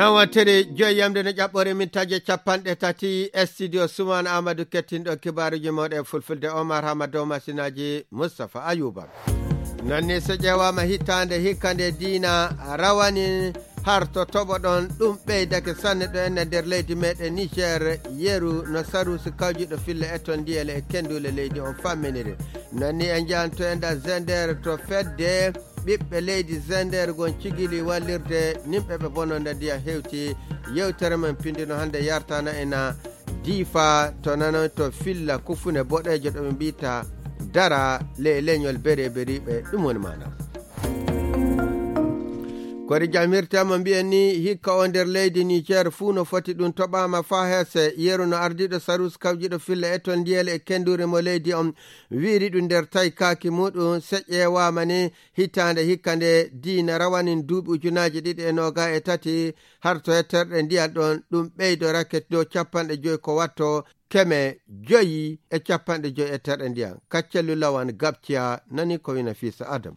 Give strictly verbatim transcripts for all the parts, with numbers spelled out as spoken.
nan wattere joyi yamde no ƴaɓɓore mintaje capanɗe tati e studio Suman Amadou kettinɗo kibaruji moɗe fulfulde Omar Hamadow masinaji Moustapha Ayuba. Nonni so ƴewama hittande hikkande diina rawani har to toɓo ɗon ɗum ɓeydake sanne ɗo enne nder leydi meɗen Niger yeru no sarusi kawjuɗo fille e ton ndiyele e kendule leydi on famminiri. Nonni en jahanto enda Zender to fedde ɓiɓɓe leydi Zender gon cigili wallirde nimɓe ɓe bononda ndiyam hewti. Yewtere men pindino hande yartana ena Difa to nano to filla kufune boɗejo ɗo ɓe mbita dara le leñol bere beriɓe ɗum woni mana kodi jamirtama mbiyen ni hikka o nder leydi Niger fuu no foti ɗum toɓama fa hese yeru no ardiɗo sarus kawjiɗo filla e ton ndiyele e kendure mo leydi on wiiri ɗum nder tawi kaaki muɗum seƴƴewama ni hitande hikka nde diina rawanin duuɓi ujunaji ɗiɗi e noga e tati har to hetterɗe ndiyam ɗon ɗum ɓeydo raket dow capanɗe joyi ko watto keme joyi e capanɗe joyi e terɗe ndiyam. Kaccellu lawan gabciya nani ko wina Fisa Adam.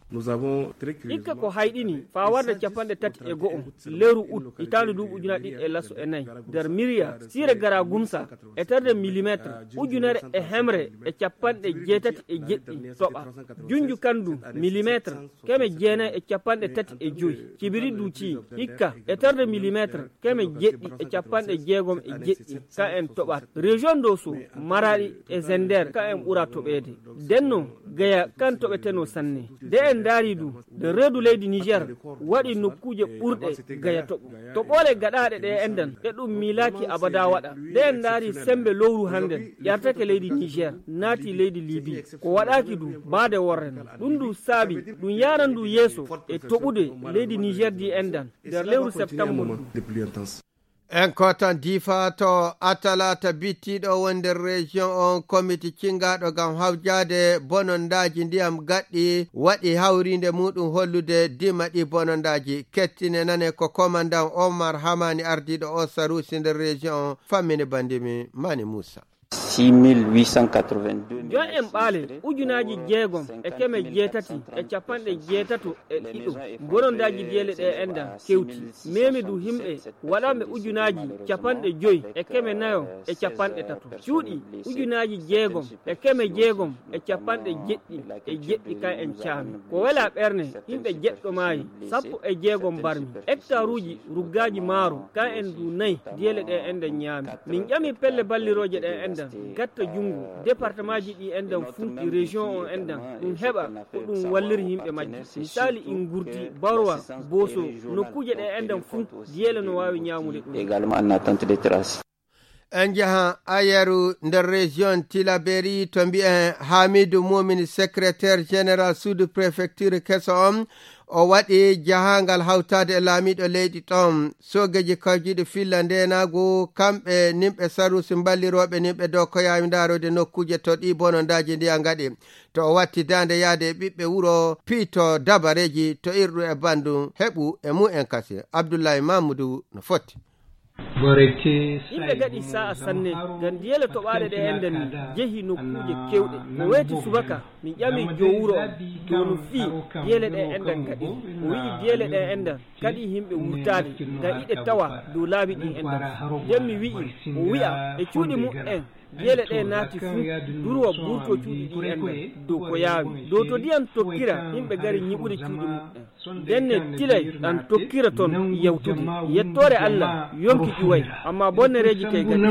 Ikka ko hayɗini fa warde capanɗe tati e go'o leru ut hitande duuɓi ujunaji ɗiɗi e lasso e nayyi nder miriya sire gara gumsa e terde millimétre ujunere e hemre e capanɗe jeetati e jeɗɗi toɓa junju kandu millimétre keme jeenayi e capanɗe tati e joyi cibiri duuci hikka e terde millimétre keme jeɗɗi e capanɗe jeegom e jeɗɗi ka en toɓat région so Maradi e Zender ka en ɓura toɓede denno gaya kan toɓeteno sanne de en daari du de reedu leydi Niger waɗi nokkuje ɓurɗe gaya toɓo toɓole gaɗaɗe ɗe endan e ɗum milaki abada waɗa de en daari sembe lowru handen ƴartake leydi Niger naati leydi Libi ko waɗaki du baade worren ɗum du saabi ɗum yaran du yeeso e toɓude leydi Niger di endan nder lewru septembre. En kotan Difa to atalata bittiɗo wonde région on comité cingaɗo gam hawjade bonondaji ndiyam gaɗɗi waɗi hawrinde muɗum hollude dima ɗi bonondaji kettine nane ko commandant Omar Hamani ardiɗo o sarusi nder région on fammini bandimi Mani Moussa. six mille huit cent quatre-vingt-deux jon en ɓaale ujunaji jeegom e keme jeetati e capanɗe jeetato e ɗiɗo bonondaji diyele ɗe enda kewti memi du himɓe waɗaɓe ujunaji capanɗe joyi e keme nayo e capanɗe tato cuuɗi ujunaji jeegom e keme jeegom e capanɗe jeɗɗi e jeɗɗi ka en caami ko wela ɓerne himɓe jeɗɗo maayi sappo e jeegom barmi hectare uji ruggaji maaro ka en du nayyi diyele ɗe enda ñaami min ƴami pelle balliroje ɗe enda gatta jungu département ji ɗi endan funki région on endan ɗum heɓa ko ɗum walliri yimɓe majji misali in gurti barwa boso nokkuje ɗe endan funki diyele no wawi ñamude ɗum également en attente de traces. En jaha ayeru nder région Tilaberi to mbi'en Hamidou Moumini secrétaire général sous préfecture keso on o waɗi jahangal hawtade e laamiɗo leydi ɗon sogeji kawjiɗo filla ndenago kamɓe nimɓe sarusi balliroɓe nimɓe dow ko yawi darode nokkuje to ɗi bonondaji ndiya gaɗi to o watti dande yaade e ɓiɓɓe wuro piito dabareji to irɗu e bandu heɓu e mu'en kasi Abdoulaye Mamoudou no foti. yimɓe gaɗi sa'a sanne ngam diyele toɓaɗe ɗe enden ni jeehi nokkuje kewɗe ko weeti subaka min ƴami jo wuro on to no fii diyele ɗe endan gaɗi o wi'i diyele ɗe endan kadi yimɓe wurtade ngam iɗe tawa dow laabi ɗi endan nden mi wi'i o wi'a e cuuɗi mum'en diyele ɗe naati fuu durwa ɓurto cuuɗi ɗi endan dow ko yaawi dow to ndiyam tokkira yimɓe gari ñiɓude cuuɗi mum'en denne tilay ɗan tokkira toon yewtude yettore Allah yonki ƴuway amma bonnereji kay gadi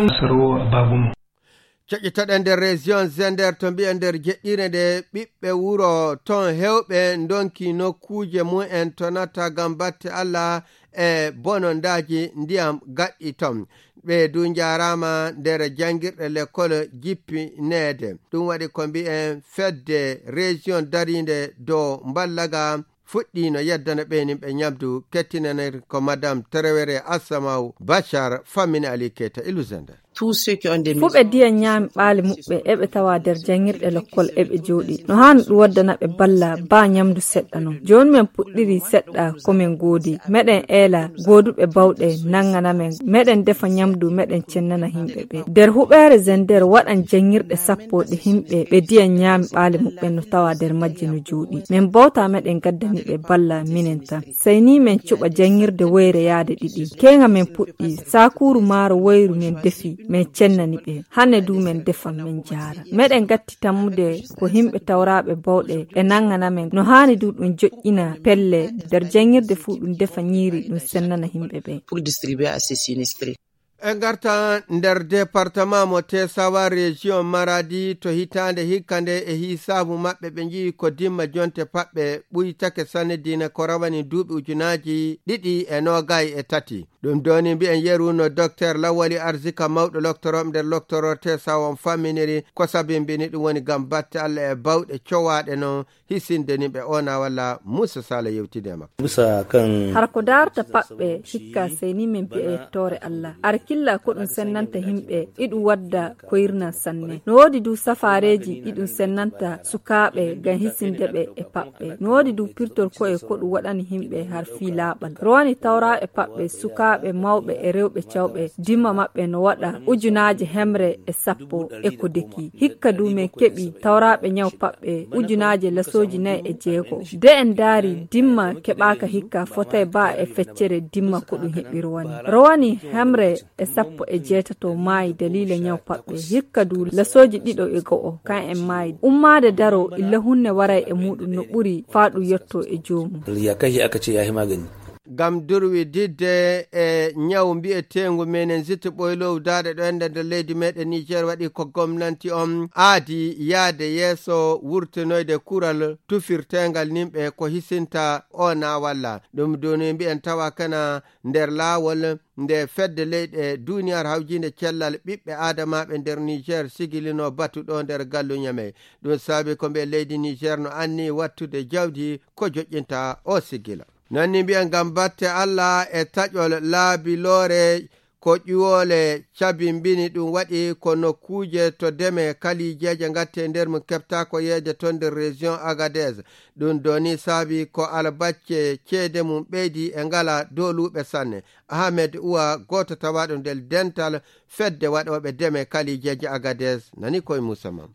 coƴƴitoɗen nder région Zender to mbiyen nder jeɗɗire nde ɓiɓɓe wuro ton hewɓe donki nokkuje mumen to natta gam batte Allah e bonondaji ndiyam gaɗɗi ton ɓe du jarama nder jangirɗe l'école jippinede ɗum waɗi ko mbi'en fedde région darinde dow mballaga fuɗɗi no yeddana ɓeynimɓe ñamdu kettinanir ko madame Traoré Assamaw Bachar fammini Ali Keita Ilu Zender. fu ɓe diya ñaami ɓaali muɓɓe eɓe tawa nder jangirɗe lokkol eɓe jooɗi no hani ɗum waddana ɓe balla ba ñamdu seɗɗa non. Joni min puɗɗiri seɗɗa komin goodi meɗen eela gooduɓe bawɗe nangana men meɗen defa ñamdu meɗen cennana himɓe ɓe nder huɓere Zender waɗan jangirɗe sappo ɗe himɓe ɓe diya ñaami ɓaali muɓɓe no tawa nder majji no jooɗi. Min bawta meɗen gaddani ɓe balla minen tan sey ni min cuɓa jangirde woyre yaade ɗiɗi kenga min puɗɗi sakuru maaro woyru min defi min cennani ɓe hande du min defan min jaara meɗen gatti tammude ko himɓe tawraɓe bawɗe ɓe nangana men no hani du ɗum joƴƴina pelle nder jangirde fuu ɗum defa ñiiri ɗum sennana himɓe ɓe pour distribuer à ces sinistrés. En garta nder département mo Tesawa région Maradi to hitande hikkande e hisabu maɓɓe ɓe jii ko dimma jonte paɓɓe ɓuytake sanne dina ko rawani duuɓi ujunaji ɗiɗi e nogayi e tati ɗum doni mbi'en yeru no docteur Lawali Arzika mawɗo loktoroɓe nder loktoror Tesawa on famminiri ko sabimbini ɗum woni gam batte Allah e bawɗe cowaɗe no hisindeni ɓe ona walla Moussa Sala yewtidema Moussa kan har ko darta paɓɓe hikka seni min bi'e tore Allah arkilla ko ɗum sennanta himɓe iɗum wadda koyirna sanne no wodi du safareji ɗiɗum sennanta sukaɓe gam hisindeɓe e paɓɓe no wodi du pirtor ko e ko ɗum waɗani himɓe har fi laɓal rowani tawraɓe paɓɓe sukaɓe mawɓe e rewɓe cawɓe dimma maɓɓe no waɗa ujunaji hemre e sappo e ko deki hikka du min keɓi tawraɓe nyaw paɓɓe ujunaji lasoji nayi e jeego de en daari dimma keɓaka hikka fotay ba e feccere dimma ko ɗum heɓi rowani rowani hemre e sappo e jeetato maayi dalila nyaw paɓɓe hikka du lasoji ɗiɗo e go'o kan en maayi ummade daro illa hunne waray e muɗum no ɓuri faaɗu yetto e joomu yakahi aka ce yahi magani gam durwi didde e nyawu mbi'etengu menen zitti ɓoylow daɗe ɗo ende nder leydi meɗen Niger waɗi ko gomnanti on aadi yaade yeeso wurtinoyde kural tufirtengal nimɓe ko hisinta ona walla ɗum doni mbi'en tawa kana nder laawol nde fedde leyɗe duniyar hawjinde cellal ɓiɓɓe adamaɓe nder Niger sigilino batuɗo nder gallu nyame ɗum saabi ko ɓe leydi Niger no anni wattude jawdi ko joƴƴinta o sigila nanni mbi'en gam batte Allah e taƴol laabilore ko ƴiwole cabimbini ɗum waɗi ko nokkuje to deme kalijeje gatte nder mum kefta ko yeede to nder région Agadez ɗum doni saabi ko albacce ceede mum ɓeydi e ngala doluɓe sanne Ahmed Uwa goto tawaɗo nder dental fedde waɗoɓe deme kalijeje Agadez nani koye Moussa Mam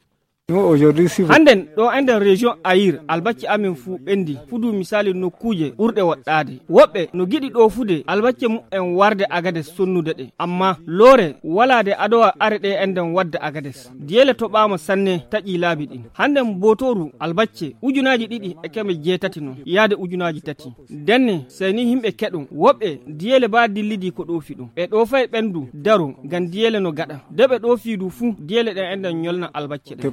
handen ɗo enden région Ayir albacce amin fu ɓendi fudu misali nokkuje ɓurɗe woɗɗade woɓɓe no giɗi ɗo fude albacce mu'en warde Agades sonnude ɗe amma loore walade adowa are ɗe enden wadda Agades diyele toɓama sanne taƴi laabi ɗin handen botoru albacce ujunaji ɗiɗi e keme jeetati no yaade ujunaji tati denne seni himɓe keɗum woɓɓe diyele ba dillidi ko ɗofi ɗum ɓe ɗo fay ɓendu daru gam diyele no gaɗa de ɓe ɗo fiidu fu diyele ɗen enden ñolna albacce ɗe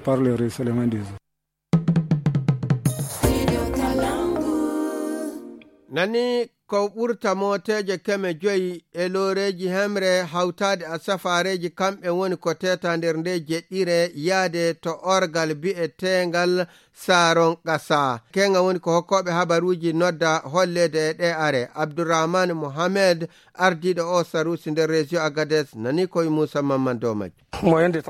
nani ko ɓurta moteje keme joyi e loreji hemre hawtade a safareji kamɓe woni ko teta nder nde jeɗɗire yaade to orgal bi'etengal saron ƙasa kenga woni ko hokkoɓe habaruji nodda hollede e ɗe are Abdourahmane Mohamed ardiɗo o sarusi nder région Agadez nani koye Moussa Mamman Domaji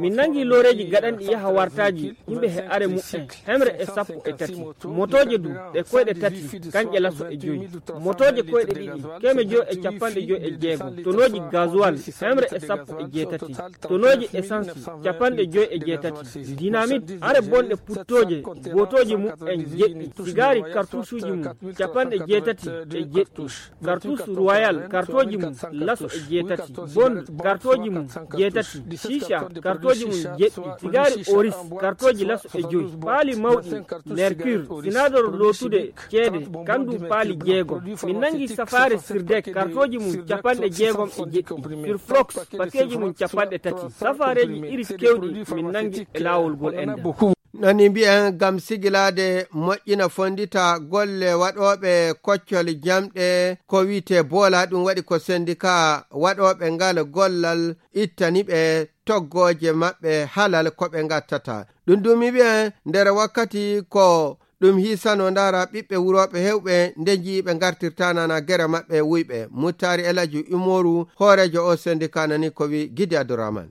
min nangi loreji gaɗanɗi yaha wartaji yimɓe he are mu'en hemre e sappo e tati motoje du ɗe koyɗe tati kanƴe laso e joyi motoje koyɗe ɗiɗi keme joyi e capanɗe joyi e jeego tonoji gasoil hemre e sappo e jeetati tonoji essence capanɗe joyi e jeetati dynamite are bonɗe puttoje gotoji mu'en jeɗɗi sigari cartouche mum capanɗe jeetati e jeɗɗi cartouche royal kartoji mum laso e jeetati bond kartoji mum jeetati shisha kartoji mum jeɗɗi sigari oris kartoji laso e joyi paali mawɗi mercure sinador lotude ceede kandu paali jeego min nangi safari sirdek kartoji mum capanɗe jeegom e jeɗɗi surflox pakeji mum capanɗe tati safareji iris kewɗi min nangi e laawol gol enda nani mbi'en gam sigilade moƴƴina fondita golle waɗoɓe koccol jamɗe ko wiite boola ɗum waɗi ko syndicat waɗoɓe ngal gollal ittaniɓe toggoje maɓɓe halal koɓe gattata ɗum dumi ɓe nder wakkati ko ɗum hisano ndara ɓiɓɓe wuroɓe hewɓe nde jiiɓe gartirta nana gere maɓɓe wuyɓe. Muttari Elaji Umoru horejo o syndicat nani ko wi Gidi Abdourahmane.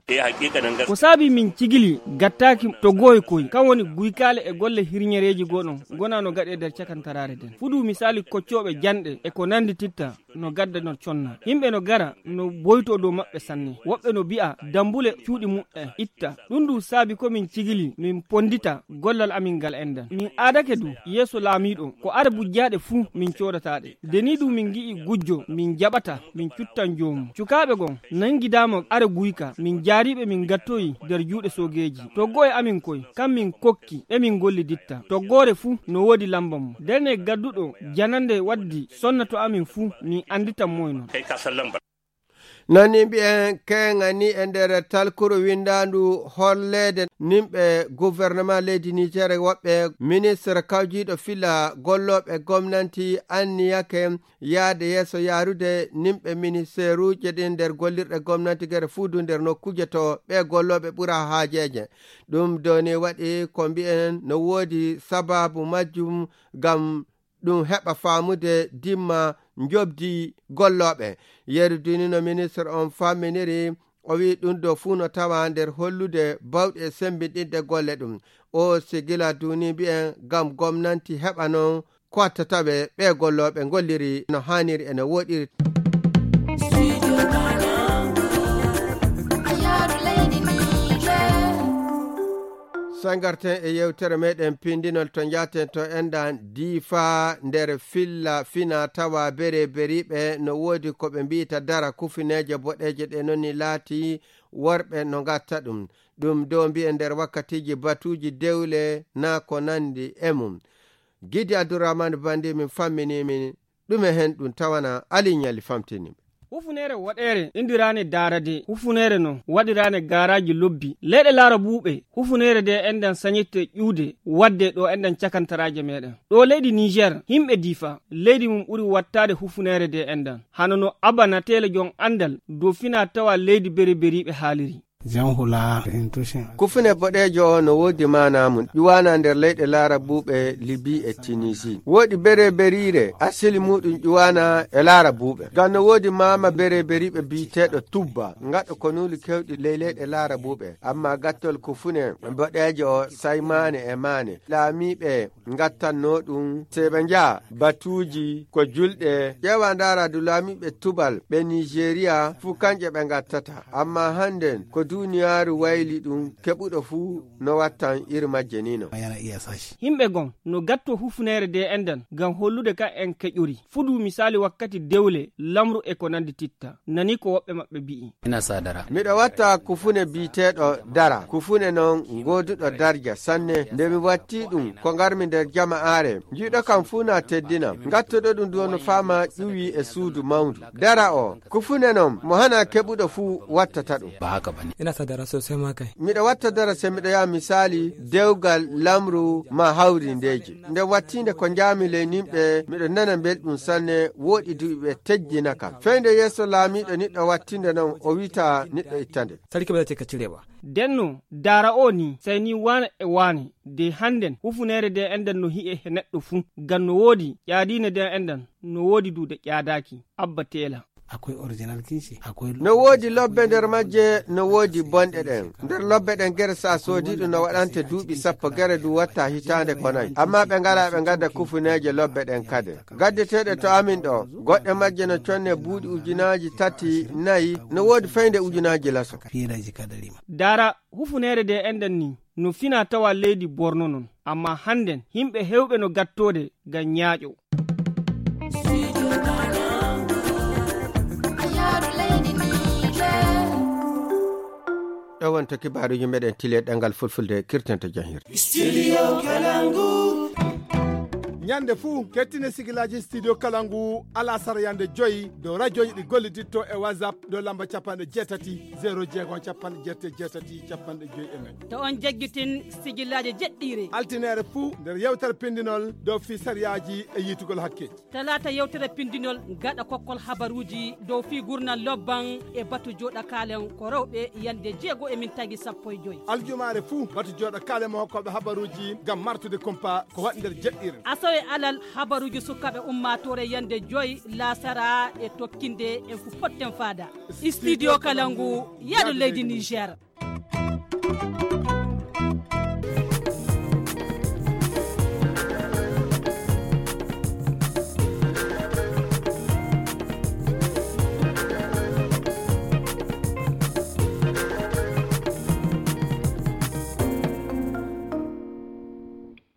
ko saabi min cigili gattaki to goy koy kan woni guykale e golle hirñereji goɗon gona no gaɗe nder cakantarare den fudu misali koccoɓe janɗe e ko nandi titta no gadda no conna yimɓe no gara no boyto dow maɓɓe sanne woɓɓe no bi'a dambule cuuɗi muɗɗe itta ɗum du saabi ko min cigili min pondita gollal amin ngal endan min adake du yeeso laamiɗo ko are bujjaɗe fuu min codataɗe deni du min gi'i gujjo min jaɓata min cuttan jomum cukaɓe gon nangidama are guyka min jaariɓe min gattoyi nder juuɗe sogeji toggoye amin koy kam min kokki e min golli ditta toggore fuu no woodi lamba mum derne gadduɗo janande waddi sonna to amin fuu min anditan moyno nani mbi'en kengani e nder talkuru windandu hollede nimɓe gouvernement leydi Niger woɓɓe ministre kawjiɗo fila golloɓe gomnanti anniyake yaade yeeso yarude nimɓe ministére uji ɗin nder gollirɗe gomnati gere fuudu nder nokkuje to ɓe golloɓe ɓura haajeje ɗum doni waɗi ko mbi'en no woodi sababu majjum gam ɗum heɓa faamude dimma njobdi golloɓe yeriduni no ministre on faminiri o wi ɗum do fuu no tawa nder hollude bawɗe sembinɗinɗe golle ɗum o sigila duni mbi'en gam gomnanti heɓa non ko wattataɓe ɓe golloɓe golliri no haniri ene woɗiri. sangarten e yewtere meɗen pindinol to jaten to endan difa nder filla fina tawa bere beriɓe no woodi ko ɓe mbiyata dara kufineje boɗeje ɗe noni laati worɓe no gatta ɗum ɗum do mbi'e nder wakkatiji batuji dewle na ko nandi e mum. Gidi Abdourahmane bandi min famminimin ɗume hen ɗum tawana aliñali famtini hufunere waɗere indirane darade hufunere no waɗirane garaji lobbi leɗe laara buuɓe hufunere de endan sañitte ƴuude wadde ɗo endan cakantaraje meɗen ɗo leydi Niger himɓe difa leydi mum ɓuri wattade hufunere de endan hano no abana tele jon andal do fina tawa leydi beri beriɓe haaliri kufune boɗejo no woodi manamum ƴuwana nder leyɗe laara buuɓe Libi e Tunisi woodi bere berire asili muɗum ƴuwana e laara buuɓe ngam no woodi mama bere beriɓe biteɗo tubba ngaɗo ko nuli kewɗi ley leyɗe laara buuɓe amma gattol kufune boɗejo saymane e mane laamiɓe gattanno ɗum seɓe nja batuji ko julɗe ƴewa ndara du laamiɓe tubal ɓe Nigeria fu kanje ɓe gattata amma handen ko duniyaaru wayli ɗum keɓuɗo fuu no wattan iri majje nino himɓe gon no gatto hufunere de endan gam hollude ka en keƴuri fudu misali wakkati dewle lamru e ko nandi titta nani ko woɓɓe maɓɓe bi'i ina sadara miɗo watta kufune biteɗo dara kufune non goduɗo darja sanne nde mi watti ɗum ko garmi nder jama'are jiɗo kam fuu na teddina gattoɗo ɗum do no fama ƴuwi e suudu mawndu dara o kufune non mo hana keɓuɗo fuu wattata ɗum ba haka bane ina sadara sosai ma kai miɗo watta dara se miɗo yaha misali dewgal lamru ma hawri ndeji nde wattinde ko jami ley nimɓe miɗo nana belɗum sanne woɗi duɓe tejjina kam feyde yeeso laamiɗo niɗɗo wattinde non o wita niɗɗo ittande sarki ba zai ka cire ba denno dara o ni sai ni wane e wane de handen hufunere de endan no hi'e he neɗɗo fuu gam no woodi ƴaadine de endan no woodi duude ƴaadaki abba tela akwai original kinshi akwai no woodi lobbe nder majje no woodi bonɗe ɗen nder lobbe ɗen gere sa soodiɗo no waɗante duuɓi sappo gere du watta hitande ko nayi amma ɓe ngala ɓe gadda kufuneje lobbe ɗen kade gaddeteɗe to amin ɗo goɗɗe majje no conne buuɗi ujunaji tati nayi no woodi fayde ujunaji laso fiiraji kadarima dara hufunere de endan ni no fina tawa leydi Borno non amma handen himɓe hewɓe no gattode gam ñaaƴo ɗowon to kibaruji meɗen tile ɗengal fulfulde kirtenta jahir Studio Kalangu ñande fuu kettine sigilaji studio kalangu ala sara yande joyi dow radioji ɗi golliditto e whatsapp dow lamba capanɗe jeetati zéro jeegom capanɗe jeette jeetati capanɗe joyi e nayyi. to on jaggitin sigillaji jeɗɗiri altinere fuu nder yewtere pindinol dow fi sariyaji e yitugol hakkeji. talata yewtere pindinol gaɗa kokkol habaruji dow fi gurnal lobban e batu joɗa kalen ko rewɓe yande jeego e min tagi sappo e joyi. aljumare fuu batu joɗa kalen mo hokkoɓe habaruji gam martude kompa ko waɗi nder jeɗɗire. asawe alal habaruji sukaɓe ummatore yande joyi lasara e tokkinde en fu potten fada studio kalangu yaɗo leydi Niger.